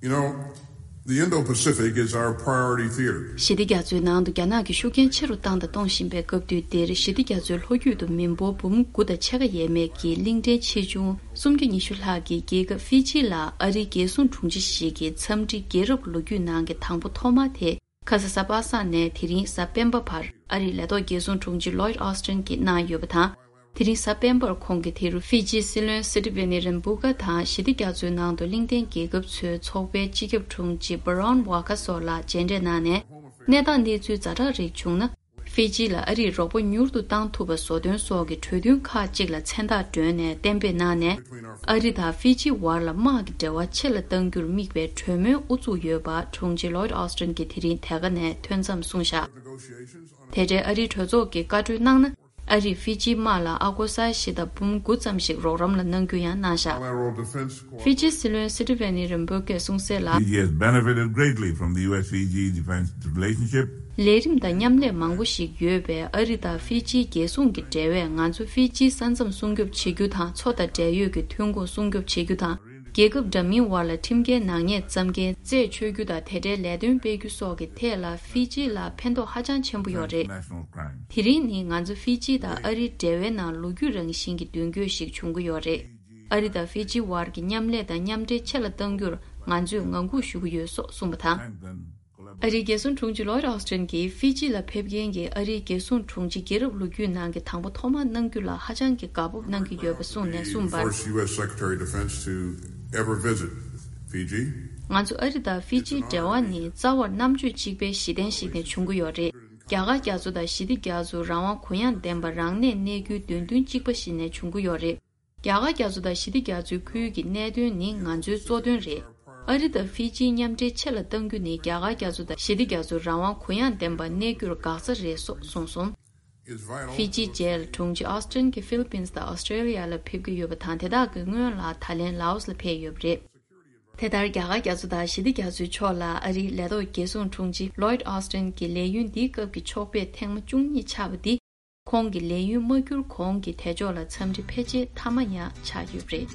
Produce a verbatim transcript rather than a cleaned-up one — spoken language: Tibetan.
You know, the Indo Pacific is our priority theater. ཞི་བདེ་རྒྱ་མཚོའི་ནང་དུ་རྒྱ་ནག་གི་ཤུགས་རྐྱེན་ཆེ་རུ་བཏང་དང་གཏོང་བཞིན་པའི་སྐབས་དུས་འདིར། ཞི་བདེ་རྒྱ་མཚོའི་ལྷོ་རྒྱུད་དུ་མི་འབོར་འབུམ་དགུ་དང་ཕྱེད་ཀ་ཡས་མས་ཀྱི་གླིང་ཕྲན་ཆེ་ཆུང་སུམ་བརྒྱ་ཉི་ཤུ་ལྷག་གི་རྒྱལ་ཁབ་ཧྥི་ཇི་ལ་ཨ་རིའི་རྒྱལ་སྲུང་དྲུང་ཆེ་ཞིག་གིས་འཚམས་འདྲི་རྒྱལ་རབས་ལོ་རྒྱུས་ནང་གི་དང་པོ་ཐོག་མ་དེ། ཁ་ས་གཟའ་པ་སངས་ནས་དེ་རིང་གཟའ་སྤེན་པ་བར་ཨ་རིའི་ལས་ཐོག་རྒྱལ་སྲུང་དྲུང་ཆེ་Lloyd Austin་གྱིས་གནང་ཡོད་པ་དང་། དེ་རིང་གཟའ་སྤེན་པར་ཁོང་གིས་དེ་རུ་ཧྥི་ཇིའི་སྲིད་བློན་སི་ཏི་ཝེ་ནི་རེན་བུ་ཀ་དང་ཞི་བདེ་རྒྱ་མཚོའི་ནང་དུ་གླིང་ཕྲན་རྒྱལ་ཁབ་ཚོའི་ཚོགས་པའི་སྤྱི་ཁྱབ་དྲུང་ཆེ་Baron Waka་སོགས་ལ་མཇལ་འཕྲད་གནང་ནས། གནས་སྟངས་གནས་ཚུལ་ཛ་དྲག་རིགས་བྱུང་ན། ཧྥི་ཇི་ལ་ཨ་རིས་རོགས་པ་མྱུར་དུ་བཏང་ཐུབ་པ་བཟོ་དོན་སོགས་ཀྱི་གྲོས་མཐུན་ཁག་ཅིག་ལ་མཚན་རྟགས་བསྒྲོན་ནས་གཏན་འབེབས་གནང་ནས། ཨ་རི་དང་ཧྥི་ཇི་བར་ལ་དམག་གི་འབྲེལ་བ་ཆེ་ལ་གཏང་རྒྱུར་དམིགས་པའི་གྲོས་མོལ་དབུ་བཙུགས་ཡོད་པ་དྲུང་ཆེ་Lloyd Austin་གྱིས་དེ་རིང་དེ་ག་ནས་ཐོན་མཚམས་གསུངས་བཞག་དེ་འབྲེལ་ཨ་རིའི་གྲོས་ཚོགས་ཀྱིས་བཀའ་འཁྲོལ་གནང་ན། ཨ་རིས་ཧྥི་ཇིའི་དམག་ལ་ཨ་སྒོར་ས་བཞི་དང་འབུམ་དགུ་ཙམ་ཞིག་རོགས་རམ་ལ་གནང་རྒྱུ་ཡང་གནང་བཞག Bilateral defense cooperation. ཧྥི་ཇིའི་སྲིད་བློན་སི་ཏི་ཝེ་ནི་རིན་པོ་ཆེས་གསུངས་གསལ་ལ། Fiji has benefited greatly from the U S Fiji defense relationship. ལས་རིམ་དང་མཉམ་ལས་མང་པོ་ཞིག་ཡོད་པས། ཨ་རི་དང་ཧྥི་ཇིའི་རྒྱལ་སྲུང་གི་འབྲེལ་བས་ང་ཚོ་ཧྥི་ཇིའི་ས་མཚམས་སྲུང་སྐྱོབ་བྱེད་རྒྱུ་དང་། མཚོ་དང་འབྲེལ་ཡོད་ཀྱི་ཐོན་ཁུངས་སྲུང་སྐྱོབ་བྱེད་རྒྱུ་དང་། རྒྱལ་ཁབ་འདྲ་མིན་བར་ལ་ཁྲིམས་འགལ་ནག་ཉེས་བཅོམ་མཁན་རྩད་ཆོད་རྒྱུ་དང་། དེ་འབྲེལ་ལས་དོན་སྤེལ་རྒྱུ་སོགས་ཀྱི་ཐད་ལ་ཧྥི་ཇི་ལ་ཕན་ཐོགས་ཧ་ཅང་ཆེན་པོ་ཡོད་རེད། National crime. དེ་རིང་ནི་ང་ཚོ་ཧྥི་ཇི་དང་ཨ་རིའི་འབྲེལ་བའི་ནང་ལོ་རྒྱུས་རང་བཞིན་གྱི་མདུན་སྐྱོད་ཞིག་བྱུང་གི་ཡོད་རེད། ཨ་རི་དང་ཧྥི་ཇི་བར་གྱི་མཉམ་ལས་དང་མཉམ་འབྲེལ་ཆེ་ལ་གཏང་རྒྱུར་ང་ཚོས་ངང་སྒུག་ཞུ་གི་ཡོད་སོགས་གསུངས་པ་དང་། ཨ་རིའི་རྒྱལ་སྲུང་དྲུང་ཆེ་Lloyd Austin་གྱིས་ཧྥི་ཇི་ལ་ཕེབས་མཁན་གྱི་ཨ་རིའི་རྒྱལ་སྲུང་དྲུང་ཆེ་རྒྱལ་རབས་ལོ་རྒྱུས་ནང་གི་དང་པོ་ཐོག་མ་གནང་རྒྱུ་ལ་ཧ་ཅང་གི་དགའ་སྤོབས་གནང་གི་ཡོད་པ་གསུངས་ནས་གསུངས་པར། First U S Secretary of Defense to ever visit Fiji. ང་ཚོ་ཨ་རི་དང་ཧྥི་ཇིའི་འབྲེལ་བ་ནི་རྩ་བར་རྣམ་དཔྱོད་གཅིག་པའི་གཞི་རྟེན་ཞིག་ནས་བྱུང་གི་ཡོད་རེད། རྒྱ་གར་རྒྱ་མཚོ་དང་ཞི་བདེ་རྒྱ་མཚོ་རང་དབང་གུ་ཡངས་ལྡན་པ་རང་གནས་གནས་རྒྱུའི་འདོད་འདུན་གཅིག་པ་ཞིག་ནས་བྱུང་གི་ཡོད་རེད། རྒྱ་གར་རྒྱ་མཚོ་དང་ཞི་བདེ་རྒྱ་མཚོའི་ཁུལ་གྱི་གནད་དོན་ནི་ང་ཚོའི་གཙོ་དོན་རེད། ཨ་རི་དང་ཧྥི་ཇིའི་མཉམ་འབྲེལ་ཆེ་ལ་གཏང་རྒྱུ་ནི་རྒྱ་གར་རྒྱ་མཚོ་དང་ཞི་བདེ་རྒྱ་མཚོ་རང་དབང་གུ་ཡངས་ལྡན་པ་གནས་རྒྱུར་འགག་རྩ་རེད་སོགས་གསུངས་སོང་། ཧྥི་ཇིའི་རྗེས་ལ་དྲུང་ཆེ་ཨོ་སི་ཊིན་གྱིས་ཧྥི་ལི་པིན་དང་ཨོ་སི་ཀྲེ་ལི་ཡ་ལ་ཕེབས་ཀྱི་ཡོད་པ་དང་། དེ་དག་གི་སྔོན་ལ་ད་ལན་ལའོ་སི་ལ་ཕེབས་ཡོད་པ་རེད། དེ་ལྟར་རྒྱ་གར་རྒྱ་མཚོ་དང་ཞི་བདེ་རྒྱ་མཚོའི་ཕྱོགས་ལ་ཨ་རིའི་ལས་ཐོག་རྒྱལ་སྲུང་དྲུང་ཆེ་Lloyd Austin་གྱི་ལས་ཡུན་འདིའི་སྐབས་ཀྱི་ཕྱོགས་ཕེབས་ཐེངས་མ་བཅུ་གཉིས་ཆགས་པ་འདི། ཁོང་གི་ལས་ཡུན་མ་འཁྱོལ་གོང་གི་དལ་འབྱོར་ལ་འཚམས་འདྲི་ཕལ་ཆེར་མཐའ་མ་ཡང་ཆགས་ཡོད་པ་རེད།